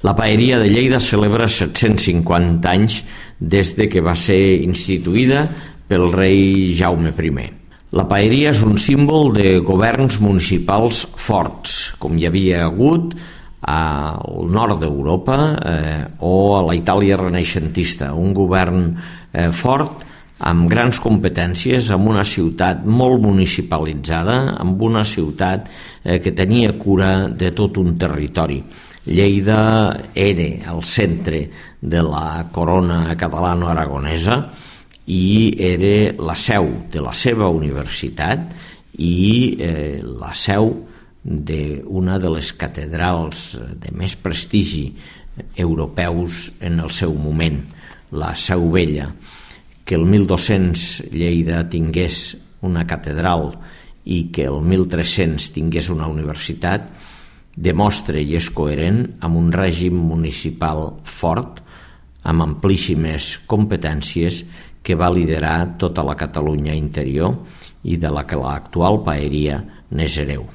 La Paeria de Lleida celebra 750 anys des de que va ser instituïda pel rei Jaume I. La paeria és un símbol de governs municipals forts, com hi havia hagut al nord d'Europa o a la Itàlia renaixentista, un govern fort amb grans competències, amb una ciutat molt municipalitzada, amb una ciutat que tenia cura de tot un territori. Lleida era el centre de la corona catalano-aragonesa i era la seu de la seva universitat i la seu d'una de les catedrals de més prestigi europeus en el seu moment, la Seu Vella. Que el 1200 Lleida tingués una catedral i que el 1300 tingués una universitat demostra i és coherent amb un règim municipal fort, amb amplíssimes competències que va liderar tota la Catalunya interior i de la que l'actual paeria n'és hereu.